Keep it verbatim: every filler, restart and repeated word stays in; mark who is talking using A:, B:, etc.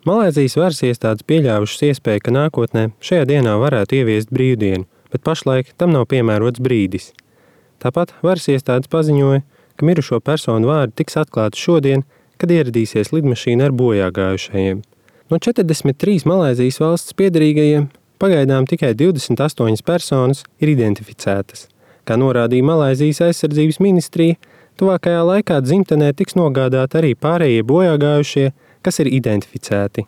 A: Malaizijas varas iestādes pieļāvušas iespēju, ka nākotnē šajā dienā varētu ieviest brīvdienu, bet pašlaik tam nav piemērots brīdis. Tāpat varas iestādes paziņoja, ka mirušo personu vārdi tiks atklāti šodien, kad ieradīsies lidmašīna ar bojāgājušajiem. No četrdesmit trīs Malaizijas valsts piederīgajiem pagaidām tikai divdesmit astoņas personas ir identificētas. Kā norādīja Malaizijas aizsardzības ministrija, tuvākajā laikā dzimtenē tiks nogādāti arī pārējie bojāgājušie, kas ir identificēti.